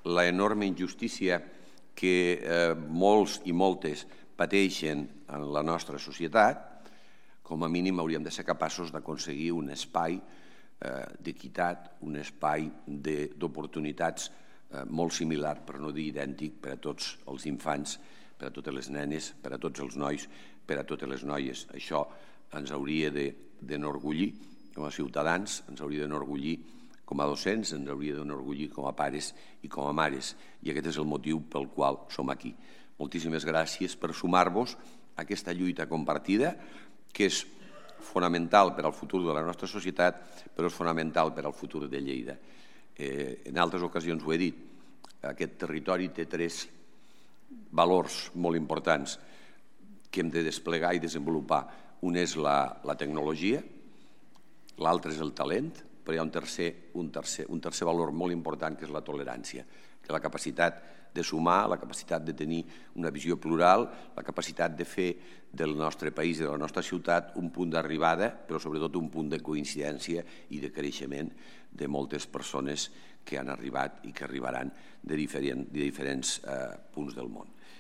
l'enorme injustícia que molts i moltes pateixen en la nostra societat, com a mínim hauríem de ser capaços d'aconseguir un espai d'equitat, un espai d'oportunitats molt similar, per no dir idèntic, per a tots els infants, per a totes les nenes, per a tots els nois, per a totes les noies. Això ens hauria d'enorgullir com a ciutadans, ens hauria d'enorgullir com a docents, ens hauria d'enorgullir com a pares i com a mares. I aquest és el motiu pel qual som aquí. Moltíssimes gràcies per sumar-vos a aquesta lluita compartida, que és fonamental per al futur de la nostra societat, però és fonamental per al futur de Lleida. En altres ocasions ho he dit, aquest territori té 3 valors molt importants que hem de desplegar i desenvolupar. Un és la tecnologia, l'altre és el talent, però hi ha un tercer valor molt important, que és la tolerància, que és la capacitat de sumar, la capacitat de tenir una visió plural, la capacitat de fer del nostre país i de la nostra ciutat un punt d'arribada, però sobretot un punt de coincidència i de creixement de moltes persones que han arribat i que arribaran de diferents punts del món.